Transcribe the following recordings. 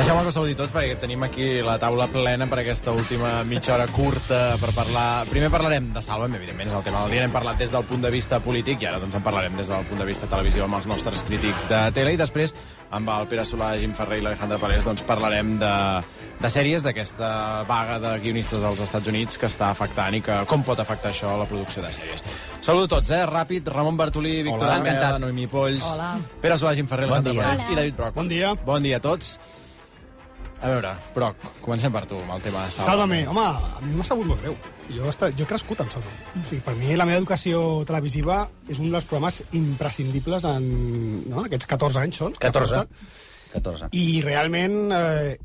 Deixeu-me que us saludi tots, perquè tenim aquí la taula plena per aquesta última mitja hora curta per parlar... Primer parlarem de Sálvame, evidentment, és el tema del dia. N'hem parlat des del punt de vista polític i ara doncs en parlarem des del punt de vista televisiu amb els nostres crítics de tele. I després, amb el Pere Solà, Jim Ferrer i l'Alejandra Palés, doncs parlarem de sèries, d'aquesta vaga de guionistes als Estats Units que està afectant i que com pot afectar això a la producció de sèries. Saludo a tots, ràpid. Ramon Bartolí, Víctor Ameda, Noemí Polls, Pere Solà, Jim Ferrer, l'Alejandra Palés i David Broc. Bon dia. Bon dia a tots. A veure, Broc, comencem per tu, amb el tema de Sálvame. Home, a mi m'ha sabut molt greu. Jo he crescut amb Sálvame. O sigui, per mi la meva educació televisiva és un dels programes imprescindibles en aquests 14 anys són. 14. I realment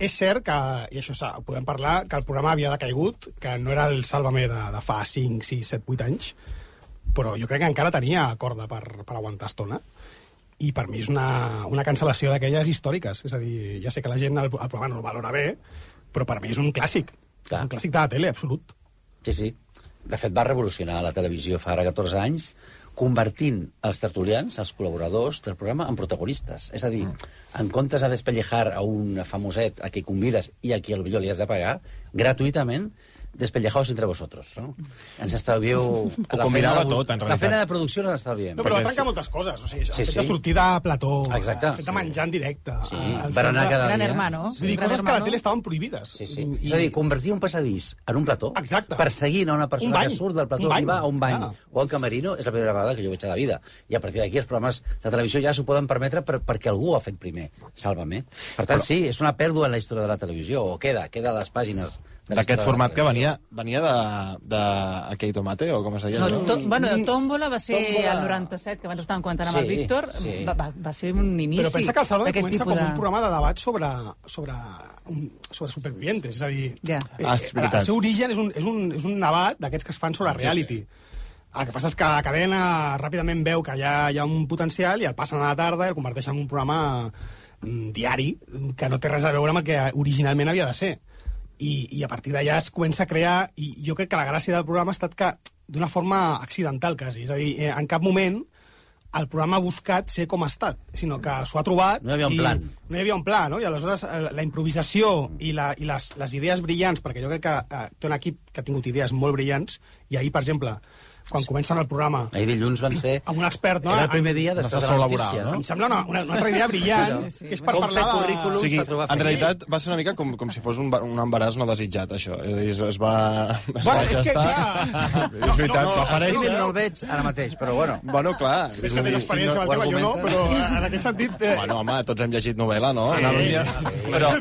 és cert que, i això ho podem parlar, que el programa havia decaigut, que no era el Sálvame de fa 5, 6, 7, 8 anys, però jo crec que encara tenia corda per aguantar estona. I per mi és una cancel·lació d'aquelles històriques. És a dir, ja sé que la gent el programa no el valora bé, però per mi és un clàssic. Clar. És un clàssic de la tele, absolut. Sí, sí. De fet, va revolucionar la televisió fa ara 14 anys, convertint els tertulians, els col·laboradors del programa, en protagonistes. És a dir, en comptes de despellejar a un famoset a qui convides i a qui potser li has de pagar, gratuïtament, despellejaos entre vosotros, no? Ens estalvieu... Ho combinava tot, en realitat. La feina de producció ens estalviem. No, però va trencar moltes coses. O sigui, el fet de sortir de plató, el fet de menjar en directe... Sí, per anar cada dia. Gran Hermano. Vull dir, coses que a la tele estaven prohibides. Sí, sí. És a dir, convertir un passadís en un plató, exacte, perseguint a una persona que surt del plató i va a un bany o a un camerino, és la primera vegada que jo veig a la vida. I a partir d'aquí els programes de televisió ja s'ho poden permetre perquè algú ho ha fet primer. Sálvame. Per tant, sí, és una pèrdua en la història de la televisió, o queda a les pàgines d'aquest format que venia d'Akei Tomate, o com es deia? Tómbola va ser el 97, que abans estàvem comentant amb el Víctor, va ser un inici. Però pensa que el Sálvame comença com un programa de debat sobre supervivientes, és a dir, el seu origen és un debat d'aquests que es fan sobre reality. El que passa és que la cadena ràpidament veu que hi ha un potencial i el passen a la tarda i el converteix en un programa diari que no té res a veure amb el que originalment havia de ser. I a partir d'allà es comença a crear, i jo crec que la gràcia del programa ha estat que d'una forma accidental, quasi. És a dir, en cap moment el programa ha buscat ser com ha estat, sinó que s'ho ha trobat... No hi havia un plan. No hi havia un pla, no? I aleshores la improvisació i les idees brillants, perquè jo crec que té un equip que ha tingut idees molt brillants, i ahir, per exemple, quan comencen el programa... Ahir dilluns van ser... Amb un expert, no? Era el primer dia després de la notícia, no? Em sembla una altra idea brillant, que és per parlar de... O sigui, en realitat va ser una mica com si fos un embaràs no desitjat, això. És va... Bueno, és que, clar... És veritat, va aparèixer... No el veig ara mateix, però bueno. Bueno, clar. És que tens experiència amb el tema, jo no, però en aquest sentit... Bueno, home, tots hem llegit novel·la, no? Però...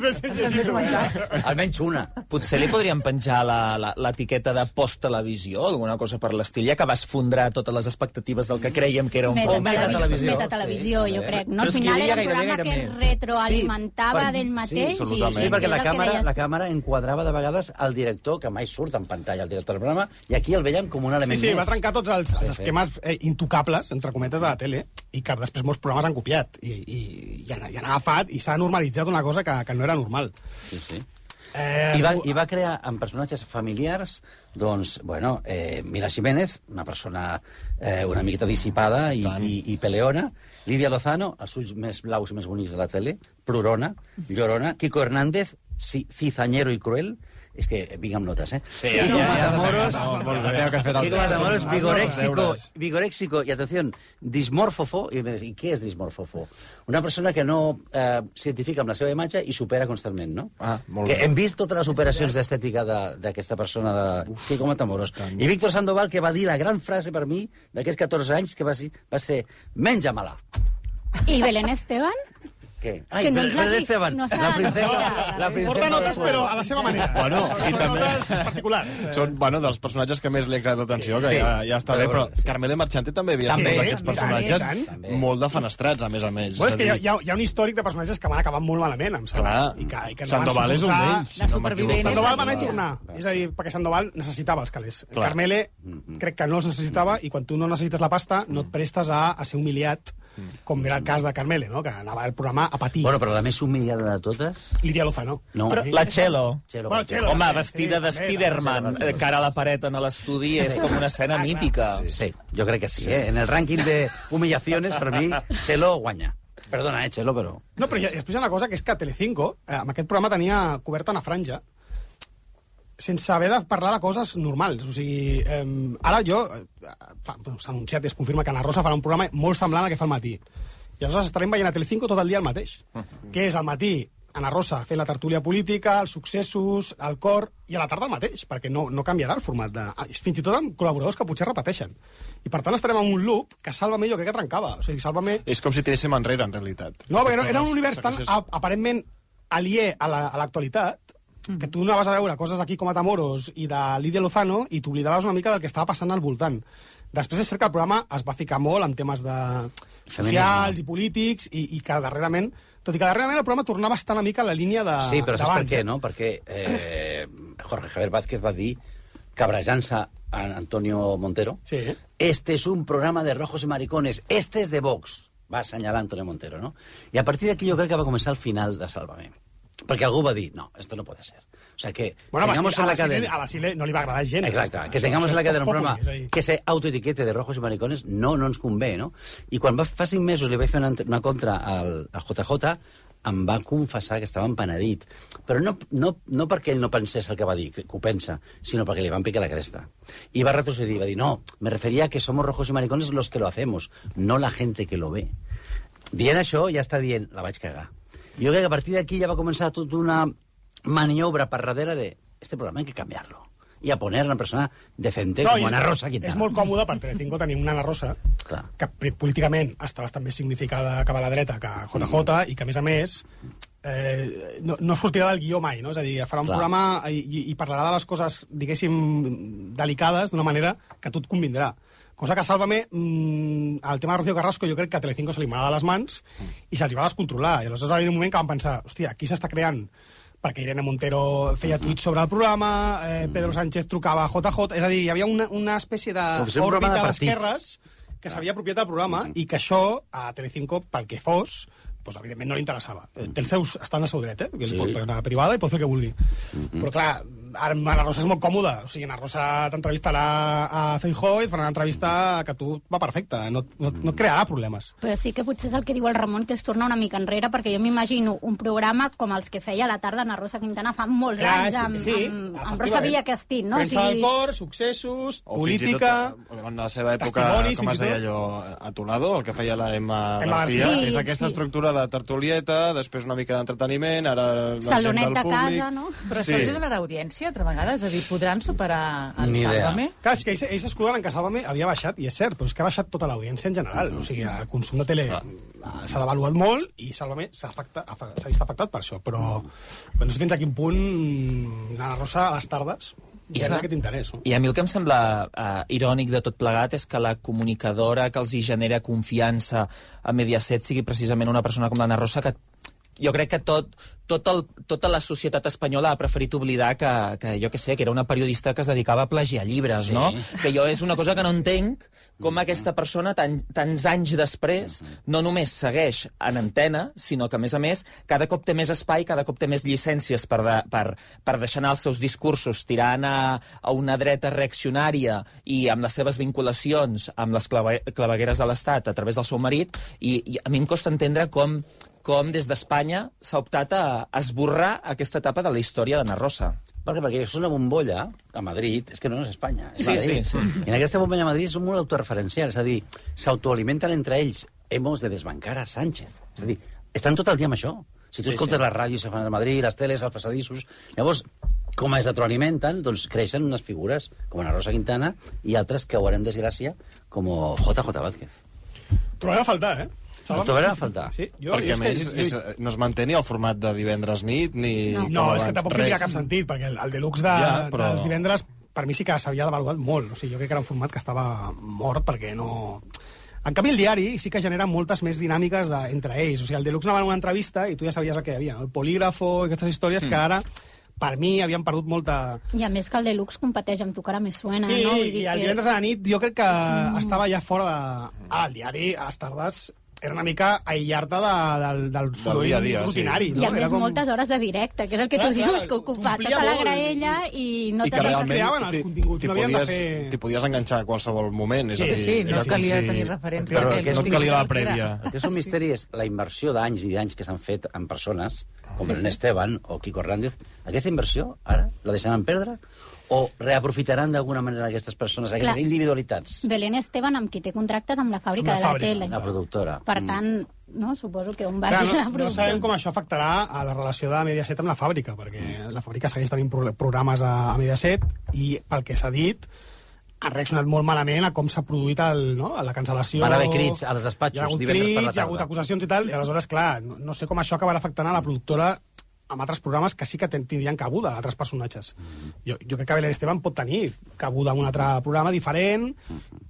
Almenys una. Potser li podríem penjar l'etiqueta de post-televisió, alguna cosa per l'estil, ja que va esfondrar totes les expectatives del que creiem que era un metatelevisió. Metatelevisió, jo crec. No, al final era un programa que es retroalimentava d'ell mateix. Sí, perquè la càmera enquadrava de vegades el director, que mai surt en pantalla, el director del programa, i aquí el veiem com un element més. Sí, va trencar tots els esquemes intocables, entre cometes, de la tele, i que després molts programes han copiat, i han agafat, i s'ha normalitzat una cosa que no era normal. Sí, sí. I va crear en personatges familiars, doncs, bueno, Mila Jiménez, una persona una miqueta dissipada i peleona, Lídia Lozano, els ulls més blaus i més bonics de la tele, plorona, llorona, Kiko Hernández, cizañero i cruel, és que vinc amb notes, Sí, Kiko Matamoros, Kiko Matamoros, vigoréxico, i atenció, dismòrfofo, i què és dismòrfofo? Una persona que no s'identifica amb la seva imatge i supera constantment, no? Que hem vist totes les operacions d'estètica d'aquesta persona, de Kiko Matamoros. I Víctor Sandoval, que va dir la gran frase per mi d'aquests 14 anys, que va ser menja-me-la. I Belén Esteban? Què? Ai, Belén Esteban, la princesa... Porta notes, però a la seva manera. Bueno, i també... notes particulars. Són, dels personatges que més li ha creat atenció, que ja està bé, però Carmele Marchante també havia sigut d'aquests personatges molt defenestrats, a més. Bueno, és que hi ha un històric de personatges que van acabar molt malament, em sembla. Clar, Sandoval és un d'ells. Sandoval va anar a tornar. És a dir, perquè Sandoval necessitava els calés. Carmele crec que no els necessitava, i quan tu no necessites la pasta no et prestes a ser humiliat, com era el cas de Carmele, no? Que anava al programa a patir. Bueno, però la més humillada de totes... Lídia Lozano. No. Però la Txelo. Home, vestida de Spiderman, cara a la paret en l'estudi, és com una escena mítica. Sí, jo crec que sí. En el rànquing de humillaciones, per mi, Txelo guanya. Perdona, Chelo, però... No, però després hi ha una cosa, que és que Telecinco, amb aquest programa tenia coberta una franja sense haver de parlar de coses normals. O sigui, ara jo... s'ha anunciat i es confirma que Ana Rosa farà un programa molt semblant al que fa al matí. I aleshores estarem veient a Telecinco tot el dia el mateix. Que és al matí Ana Rosa fent la tertúlia política, els successos, el cor, i a la tarda el mateix, perquè no canviarà el format. Fins i tot amb col·laboradors que potser repeteixen. I per tant estarem en un loop que Sálvame jo crec que trencava. O sigui, Sálvame... És com si tiréssim enrere, en realitat. No, perquè era un univers tan aparentment aliè a l'actualitat que tu anaves a veure coses d'aquí com a Matamoros i de Lídia Lozano i t'oblidaves una mica del que estava passant al voltant. Després és cert que el programa es va ficar molt en temes de socials i polítics i que darrerament, tot i que darrerament el programa tornava a estar una mica a la línia de... Sí, però saps per què, no? Perquè Jorge Javier Vázquez va dir, cabrejant-se a Antonio Montero, sí. Este es un programa de rojos y maricones, este es de Vox, va assenyalar Antonio Montero, no? I a partir d'aquí jo crec que va començar el final de Sálvame. Perquè algú va dir, no, esto no puede ser. O sea, que bueno, tengamos en la cadena... A Basile no li va agradar gens. Exacte, que tengamos en la cadena un programa que se autoetiquete de rojos y maricones no ens convé, no? I quan fa 5 mesos li vaig fer una contra al JJ, em va confessar que estava empenedit. Però no perquè ell no pensés el que va dir, que ho pensa, sinó perquè li van picar la cresta. I va retrocedir, va dir, no, me refería a que somos rojos y maricones los que lo hacemos, no la gente que lo ve. Dient això, ja està dient, la vaig cagar. Jo crec que a partir d'aquí ja va començar tota una maniobra per darrere de este programa hay que cambiarlo y a poner una persona decente com Ana Rosa Quintana. És molt còmode per Telecinco tenir una Ana Rosa que políticament està bastant més significada cap a la dreta que JJ i que, a més, no sortirà del guió mai, no? És a dir, farà un programa i parlarà de les coses, diguéssim, delicades d'una manera que a tu et convindrà. Cosa que Sálvame, el tema de Rocío Carrasco, jo crec que a Telecinco se li m'ha de les mans i se'ls va descontrolar. I aleshores va haver un moment que van pensar, hòstia, aquí s'està creant, perquè Irene Montero feia tuits sobre el programa, Pedro Sánchez trucava a JJ, és a dir, hi havia una espècie d'òrbita d'esquerres que s'havia apropiat del programa i que això a Telecinco, pel que fos, pues, evidentment no li interessava. Està en el seu dret, que ell pot fer una privada i pot fer el que vulgui. Però clar, ara Ana Rosa és molt còmoda. O sigui, Ana Rosa t'entrevistarà a Feijóo i et farà una entrevista que a tu va perfecta. No et crearà problemes. Però sí que potser és el que diu el Ramon, que es torna una mica enrere, perquè jo m'imagino un programa com els que feia a la tarda Ana Rosa Quintana fa molts anys, amb Rosa Villa Castín, no? Premsa del cor, successos, política... En la seva època, com es deia allò, a Tolado, el que feia la Emma García, és aquesta estructura de tertulieta, després una mica d'entreteniment, ara Salonet de casa, no? Però això els donarà audiència altra vegada? És a dir, podran superar el Sálvame? Clar, és que ells exclouen que Sálvame havia baixat, i és cert, però és que ha baixat tota l'audiència en general. O sigui, el consum de tele s'ha devaluat molt i Sálvame s'ha vist afectat per això. Però no sé fins a quin punt Ana Rosa a les tardes genera aquest interès. No? I a mi el que em sembla irònic de tot plegat és que la comunicadora que els hi genera confiança a Mediaset sigui precisament una persona com l'Anna Rosa, que jo crec que tota la societat espanyola ha preferit oblidar que jo què sé, que era una periodista que es dedicava a plagiar llibres, sí. No? Que jo és una cosa que no entenc, com aquesta persona tants anys després no només segueix en antena, sinó que, a més, cada cop té més espai, cada cop té més llicències per deixar anar els seus discursos tirant a una dreta reaccionària i amb les seves vinculacions amb les clavegueres de l'Estat a través del seu marit, i a mi em costa entendre com des d'Espanya s'ha optat a esborrar aquesta etapa de la història d'Anna Rosa. Perquè és una bombolla a Madrid, és que no és Espanya, és Madrid. Sí. I en aquesta bombolla a Madrid és molt autorreferencial, és a dir, s'autoalimenten entre ells. Hemos de desbancar a Sánchez. És a dir, estan tot el dia amb això. Si tu escoltes les ràdios que fan a Madrid, les teles, els passadissos... Llavors, com es retroalimenten, doncs creixen unes figures com Ana Rosa Quintana i altres que haurem desgràcia, com JJ Vázquez. Trobem a faltar, No trobarem a faltar. Sí, perquè, a més, no es manté ni el format de divendres nit, ni... No, és que tampoc tindria cap sentit, perquè el deluxe dels divendres, per mi sí que s'havia devaluat molt. O sigui, jo crec que era un format que estava mort, perquè no... En canvi, el diari sí que genera moltes més dinàmiques entre ells. O sigui, el deluxe anava en una entrevista i tu ja sabies el que hi havia, no? El polígrafo i aquestes històries que ara... Per mi havien perdut molta... I a més que el Deluxe competeix amb Tu cara me suena, no? Sí, i el divendres a la nit jo crec que estava ja fora de... Ara, el diari, a les tardes, era una mica aïllar-te del soroll rutinari. I a més moltes hores de directe, que és el que tu dius, que ocupar tota la graella i no te creaven els continguts, no havien de fer... T'hi podies enganxar a qualsevol moment. Sí, no calia tenir referents. No calia la prèvia. El que és un misteri és la inversió d'anys i d'anys que s'han fet en persones, com Belén Esteban o Kiko Hernández. Aquesta inversió, ara, la deixaran perdre? O reaprofitaran d'alguna manera aquestes persones, aquestes individualitats? Belén Esteban, amb qui té contractes amb la fàbrica de la tele. La productora. Per tant, no, suposo que on vagi la productora. No sabem com això afectarà a la relació de Mediaset amb la fàbrica, perquè la fàbrica segueix tenint programes a Mediaset i, pel que s'ha dit, ha reaccionat molt malament a com s'ha produït la cancel·lació. Van haver crits a les despatxos divendres per la tarda. Hi ha hagut acusacions i tal, i aleshores, clar, no sé com això acabarà afectant a la productora amb altres programes que sí que tindrien cabuda, altres personatges. Jo crec que Belén Esteban pot tenir cabuda en un altre programa diferent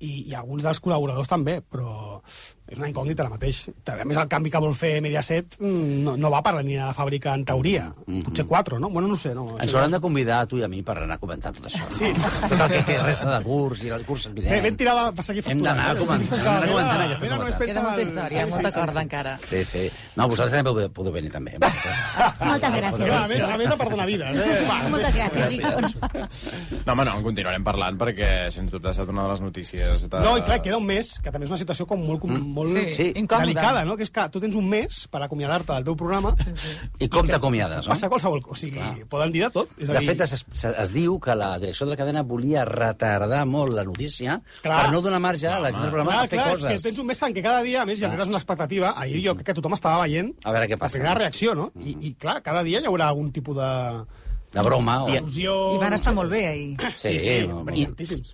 i alguns dels col·laboradors també, però és una incògnita ara mateix. A més, el canvi que vol fer Mediaset no va per la línia de la fàbrica, en teoria. Potser 4, no? Bueno, no sé. No. Ens hauran de convidar a tu i a mi per anar comentant tot això. Sí. Tot el que resta de curs i el curs vinent. Ben tirada per seguir facturant. Hem d'anar comentant aquesta novetat. Queda molta història, molta corda encara. Sí. No, vosaltres també podeu venir també. Moltes gràcies. A més de perdonar vides. Moltes gràcies, Víctor. No, home, no, en continuarem parlant perquè, sens dubte, ha estat una de les notícies. No, i clar, queda un mes, que també és una situació com molt delicada, no? Que és que tu tens un mes per acomiadar-te del teu programa. I com t'acomiades, no? Passa qualsevol cosa. O sigui, poden dir de tot. De fet, es diu que la direcció de la cadena volia retardar molt la notícia per no donar marge a la gent del programa a fer coses. És que tens un mes en què cada dia, a més, generes una expectativa. Ahir jo crec que tothom estava veient a veure què passa. La primera reacció, no? I clar, cada dia hi haurà algun tipus de broma. I van estar molt bé ahir. Sí.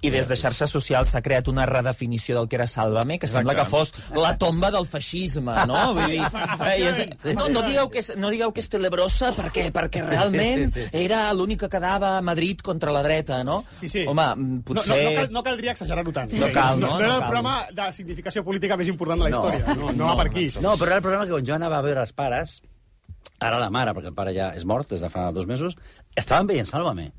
I des de xarxes socials s'ha creat una redefinició del que era Sálvame, que sembla que fos la tomba del feixisme, no? Vull dir, no digueu que és Telebrosa perquè realment era l'únic que quedava a Madrid contra la dreta, no? Sí. Home, potser... No caldria exagerar-ho tant. No cal, no? No era el programa de significació política més important de la història. No va per aquí. No, però era el programa que quan jo anava a veure els pares, ara la mare, perquè el pare ja és mort des de fa 2 mesos, estaven veient Sálvame.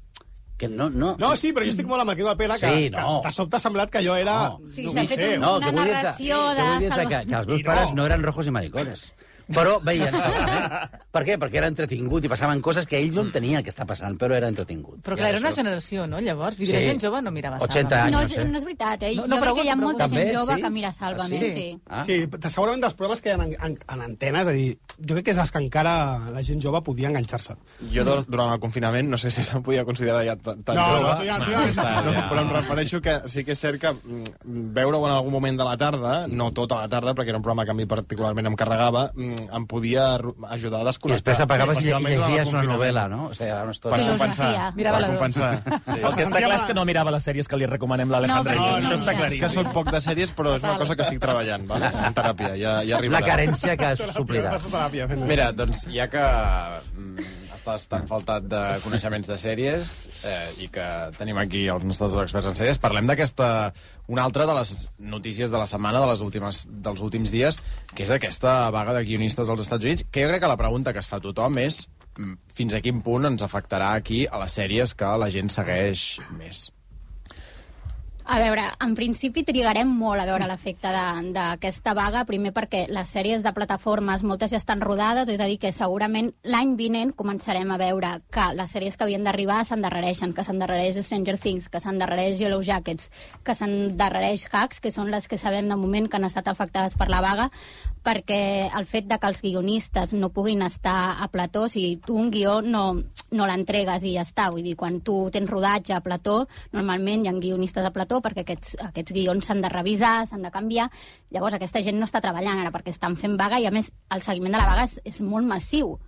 Que no... No, sí, però jo estic molt amb el Quino de Pera, que de sobte ha semblat que jo era... Sí, s'ha fet una narració de Sálvame. Que els meus pares no eren rojos i maricones. Però veien Sálvame. Per què? Perquè era entretingut i passaven coses que ells no entenien que està passant, però era entretingut. Però clar, era una generació, no? Llavors, la gent jove no mirava Sálvame. 80 anys, no és veritat, eh? Jo crec que hi ha molta gent jove que mira Sálvame, sí. Sí, segurament dels programes que hi ha en antenes, és a dir, jo crec que és els que encara la gent jove podia enganxar-se. Jo, durant el confinament, no sé si se'm podia considerar ja tan jove, però em refereixo que sí que és cert que veure-ho en algun moment de la tarda, no tota la tarda, perquè era un programa que a mi particularment em carregava, em podia ajudar a desconnectar. I després apagaves i llegies una novel·la, no? O sigui, una per compensar. Mirava la compensar. El que està clar és que no mirava les sèries que li recomanem l'Alejandra. Això està clar. És que soc poc de sèries, però és una cosa que estic treballant, en teràpia. Ja arribarà. La carència que suplirà. Mira, doncs, ja que estàs tan faltat de coneixements de sèries i que tenim aquí els nostres experts en sèries, parlem d'aquesta, una altra de les notícies de la setmana, dels últims dies, que és aquesta vaga de guionistes als Estats Units, que jo crec que la pregunta que es fa tothom és fins a quin punt ens afectarà aquí a les sèries que la gent segueix més. A veure, en principi trigarem molt a veure l'efecte d'aquesta vaga, primer perquè les sèries de plataformes, moltes ja estan rodades, és a dir, que segurament l'any vinent començarem a veure que les sèries que havien d'arribar s'endarrereixen, que s'endarrereix Stranger Things, que s'endarrereix Yellow Jackets, que s'endarrereix Hacks, que són les que sabem de moment que han estat afectades per la vaga, perquè el fet de que els guionistes no puguin estar a plató, o sigui, tu un guió no l'entregues i ja està, vull dir, quan tu tens rodatge a plató, normalment hi ha guionistes a plató perquè aquests guions s'han de revisar, s'han de canviar, llavors aquesta gent no està treballant ara perquè estan fent vaga i a més el seguiment de la vaga és molt massiu.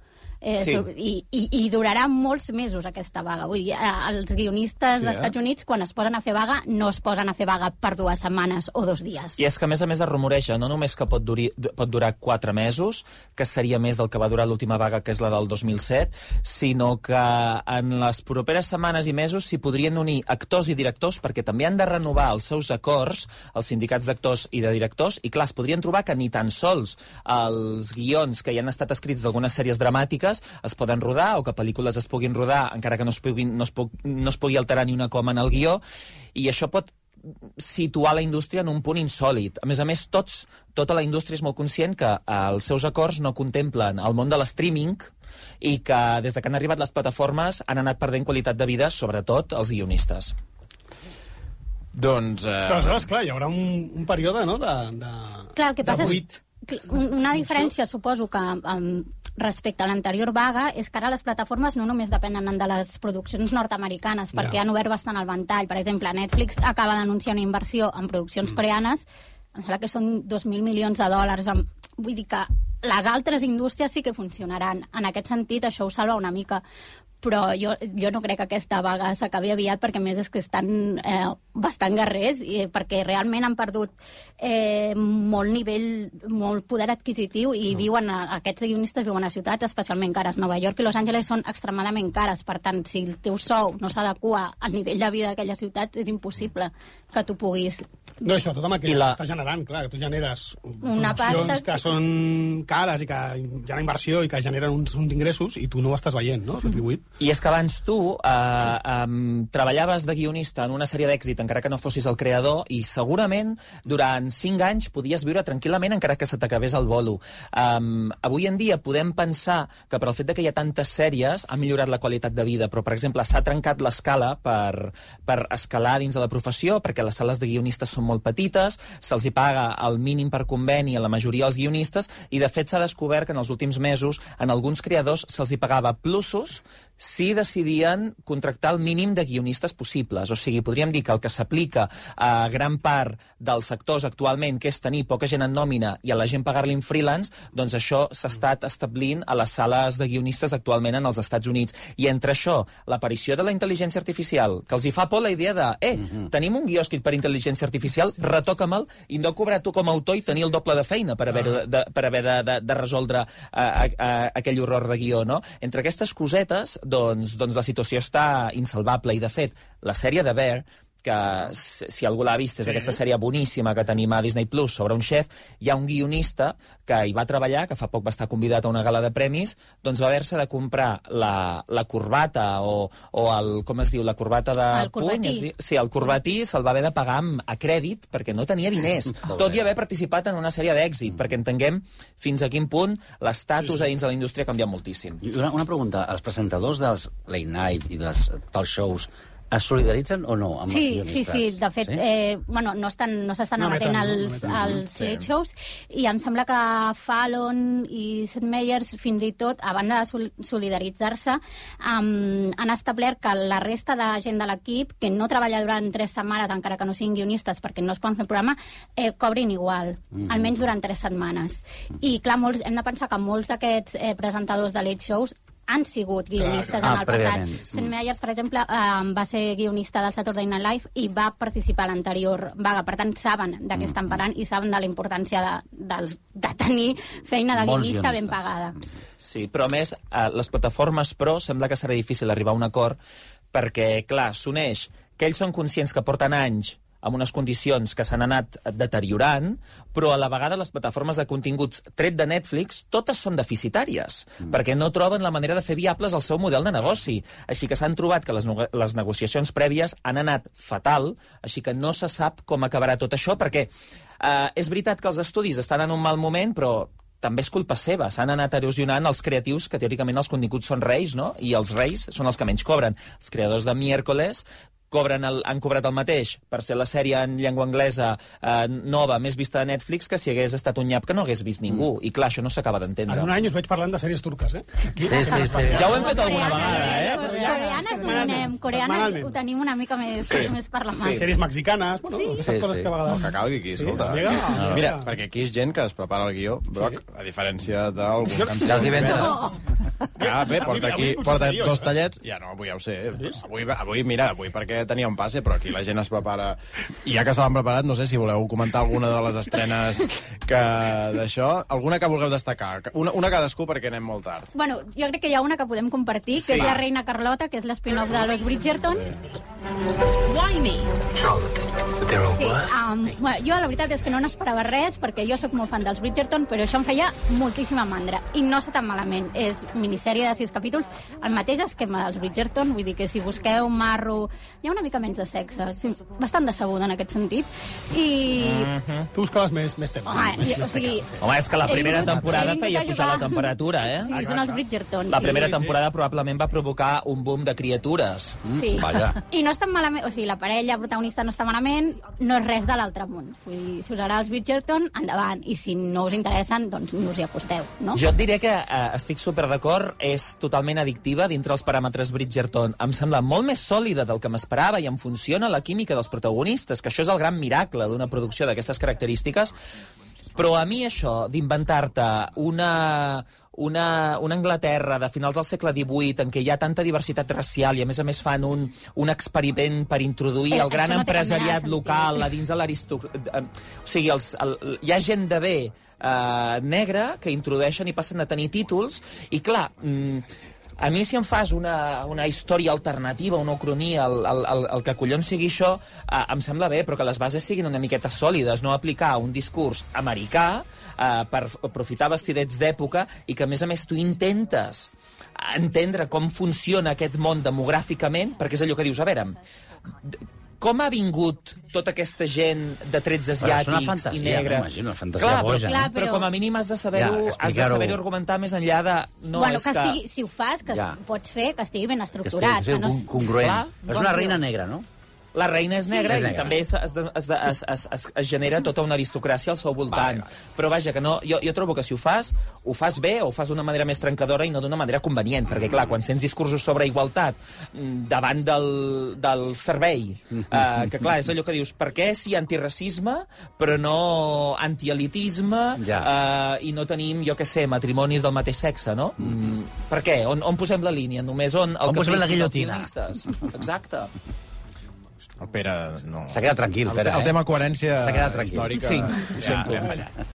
I durarà molts mesos aquesta vaga. Vull dir, els guionistes dels Estats Units, quan es posen a fer vaga, no es posen a fer vaga per 2 setmanes o 2 dies. I és que, a més es rumoreja no només que pot durar 4 mesos, que seria més del que va durar l'última vaga, que és la del 2007, sinó que en les properes setmanes i mesos s'hi podrien unir actors i directors, perquè també han de renovar els seus acords, els sindicats d'actors i de directors, i clar, es podrien trobar que ni tan sols els guions que ja han estat escrits d'algunes sèries dramàtiques es poden rodar, o que pel·lícules es puguin rodar encara que no es pugui alterar ni una coma en el guió, i això pot situar la indústria en un punt insòlid. A més, tota la indústria és molt conscient que els seus acords no contemplen el món de l'streaming i que des que han arribat les plataformes han anat perdent qualitat de vida, sobretot els guionistes. Doncs... Però aleshores, clar, hi haurà un període, no?, clar, el que passa és una diferència, suposo, que respecte a l'anterior vaga és que ara les plataformes no només depenen de les produccions nord-americanes, perquè han obert bastant el ventall. Per exemple, Netflix acaba d'anunciar una inversió en produccions coreanes, em sembla que són 2.000 milions de dòlars. Vull dir que les altres indústries sí que funcionaran. En aquest sentit, això ho salva una mica. Però jo no crec que aquesta vaga s'acabi aviat, perquè a més és que estan bastant guerrers, perquè realment han perdut molt nivell, molt poder adquisitiu, i aquests guionistes viuen a ciutats especialment cares. Nova York i Los Angeles són extremadament cares, per tant, si el teu sou no s'adequa al nivell de vida d'aquella ciutat, és impossible que tu puguis... No, això, tot amb el que estàs generant, clar, que tu generes produccions que són cares i que hi ha una inversió i que generen uns ingressos i tu no ho estàs veient, no?, retribuït. I és que abans tu treballaves de guionista en una sèrie d'èxit encara que no fossis el creador, i segurament durant 5 anys podies viure tranquil·lament encara que se t'acabés el bolo. Avui en dia podem pensar que per el fet que hi ha tantes sèries ha millorat la qualitat de vida, però per exemple s'ha trencat l'escala per escalar dins de la professió, perquè les sales de guionistes són molt petites, se'ls hi paga el mínim per conveni a la majoria dels guionistes, i de fet s'ha descobert que en els últims mesos en alguns creadors se'ls hi pagava plusos si decidien contractar el mínim de guionistes possibles. O sigui, podríem dir que el que s'aplica a gran part dels sectors actualment, que és tenir poca gent en nòmina i a la gent pagar-li en freelance, doncs això s'ha estat establint a les sales de guionistes actualment en els Estats Units. I entre això, l'aparició de la intel·ligència artificial, que els hi fa por la idea de tenim un guió escrit per intel·ligència artificial, retoca'me'l i no cobrar tu com a autor i tenir el doble de feina per haver de resoldre aquell horror de guió, no? Entre aquestes cosetes, doncs la situació està insalvable, i de fet, la sèrie de Bear, que si algú l'ha vist és aquesta sèrie boníssima que tenim a Disney Plus sobre un xef, hi ha un guionista que hi va treballar, que fa poc va estar convidat a una gala de premis, doncs va haver-se de comprar la corbata o el, com es diu, la corbata de puny, sí, el corbatí se'l va haver de pagar a crèdit perquè no tenia diners, tot i haver participat en una sèrie d'èxit, perquè entenguem fins a quin punt l'estatus a dins de la indústria ha canviat moltíssim. Una pregunta, els presentadors dels late night i dels talk shows es solidaritzen o no amb els guionistes? Sí. De fet, no s'estan emetent els late shows, i em sembla que Fallon i Seth Meyers, fins i tot, a banda de solidaritzar-se, han establert que la resta de gent de l'equip, que no treballa durant 3 setmanes, encara que no siguin guionistes, perquè no es poden fer el programa, cobrin igual, almenys durant 3 setmanes. I, clar, hem de pensar que molts d'aquests presentadors de late shows han sigut guionistes en el passat. Seth Meyers, per exemple, va ser guionista del Saturday Night Live i va participar a l'anterior vaga. Per tant, saben de què estan parlant i saben de la importància de tenir feina de guionista ben pagada. Sí, però a més, les plataformes pro sembla que serà difícil arribar a un acord perquè, clar, s'uneix que ells són conscients que porten anys amb unes condicions que s'han anat deteriorant, però a la vegada les plataformes de continguts tret de Netflix totes són deficitàries, perquè no troben la manera de fer viables el seu model de negoci. Així que s'han trobat que les negociacions prèvies han anat fatal, així que no se sap com acabarà tot això, perquè és veritat que els estudis estan en un mal moment, però també és culpa seva. S'han anat erosionant els creatius, que teòricament els continguts són reis, no? I els reis són els que menys cobren. Els creadors de Miércoles han cobrat el mateix per ser la sèrie en llengua anglesa nova, més vista de Netflix, que si hagués estat un nyap que no hagués vist ningú. I clar, això no s'acaba d'entendre. En un any us veig parlant de sèries turques, Sí. Ja ho hem fet alguna vegada, Coreanes donem, coreanes ho tenim una mica més per la mà. Sèries mexicanes, aquestes coses que a vegades... No, que calgui aquí, escolta. Mira, perquè aquí és gent que es prepara el guió, Broc, a diferència d'algun que em els divendres. Bé, porta 2 tallets, ja no, avui ja ho sé. Avui perquè tenia un passe, però aquí la gent es prepara. I ja que se l'han preparat, no sé si voleu comentar alguna de les estrenes d'això. Alguna que vulgueu destacar? Una cadascú, perquè anem molt tard. Bueno, jo crec que hi ha una que podem compartir, que és la Reina Carlota, que és l'espin-off de Los Bridgerton. Why me? Jo la veritat és que no n'esperava res, perquè jo sóc molt fan dels Bridgerton, però això em feia moltíssima mandra. I no està tan malament. És minissèrie, sèrie de 6 capítols, el mateix esquema dels Bridgerton, vull dir que si busqueu marro, hi ha una mica menys de sexe, bastant decebuda en aquest sentit, i... Tu buscaves més tema. Home, és que la primera temporada feia pujar la temperatura, eh? Sí, són els Bridgerton. La primera temporada probablement va provocar un boom de criatures. Sí, i no estan malament, o sigui, la parella protagonista no està malament, no és res de l'altre món. Vull dir, si us agrada els Bridgerton, endavant, i si no us interessen, doncs no us hi acosteu, no? Jo et diré que estic super d'acord, és totalment addictiva dintre els paràmetres Bridgerton. Em sembla molt més sòlida del que m'esperava i em funciona la química dels protagonistes, que això és el gran miracle d'una producció d'aquestes característiques. Però a mi això d'inventar-te una Anglaterra de finals del segle XVIII en què hi ha tanta diversitat racial i a més fan un experiment per introduir el gran empresariat local a dins de l'aristocràcia... O sigui, hi ha gent de bé negra que introdueixen i passen a tenir títols i, clar... A mi, si em fas una història alternativa, una ucronia, el que collons sigui això, em sembla bé, però que les bases siguin una miqueta sòlides, no aplicar un discurs americà per aprofitar vestidets d'època i que, a més, tu intentes entendre com funciona aquest món demogràficament, perquè és allò que dius, a veure, com ha vingut tota aquesta gent de trets asiàtics i negres? És una fantasia boja. Però com a mínim has de saber-ho argumentar més enllà de... Si ho fas, que pots fer que estigui ben estructurat. Que estigui congruent. És una reina negra, no? La reina és negra i també es genera tota una aristocràcia al seu voltant. Però vaja, que no, jo trobo que si ho fas bé o ho fas d'una manera més trencadora i no d'una manera convenient, perquè clar, quan sents discursos sobre igualtat davant del servei, que clar, és allò que dius, per què sí antiracisme però no antielitisme i no tenim, jo què sé, matrimonis del mateix sexe, no? Per què? On posem la línia? Només on el caprici dels guillotinistes? Exacte. El Pere no... S'ha quedat tranquil, Pere. El tema coherència històrica... Sí, ho sento.